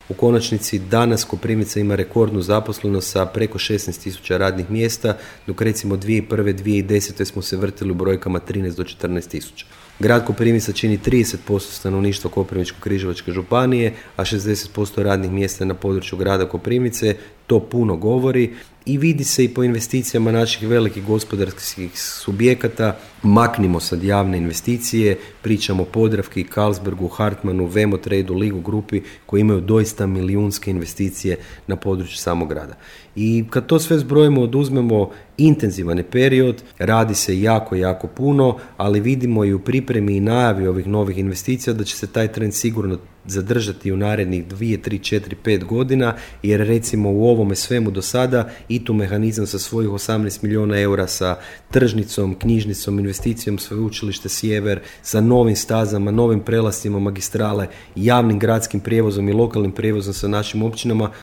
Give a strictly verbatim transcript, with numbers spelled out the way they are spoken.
U konačnici danas Koprivnica ima rekordnu zaposlenost sa preko šesnaest tisuća radnih mjesta, dok recimo dvije tisuće prve. dvije tisuće desete. smo se vrtili u brojkama trinaest do četrnaest tisuća. Grad Koprivnica čini trideset posto stanovništva Koprivničko-križevačke županije, a šezdeset posto radnih mjesta na području grada Koprivnice. To puno govori i vidi se i po investicijama naših velikih gospodarskih subjekata. Maknimo sad javne investicije, pričamo o Podravki, Carlsbergu, Hartmanu, Vemotradu, Ligu grupi koji imaju doista milijunske investicije na području samog grada. I kad to sve zbrojimo, oduzmemo intenzivan je period, radi se jako, jako puno, ali vidimo i u pripremi i najavi ovih novih investicija da će se taj trend sigurno zadržati u narednih dvije, tri, četiri, pet godina, jer recimo u ovome svemu do sada i tu mehanizam sa svojih osamnaest milijuna eura sa tržnicom, knjižnicom, investicijom Sveučilište Sjever, sa novim stazama, novim prelascima magistrale, javnim gradskim prijevozom i lokalnim prijevozom sa našim općinama,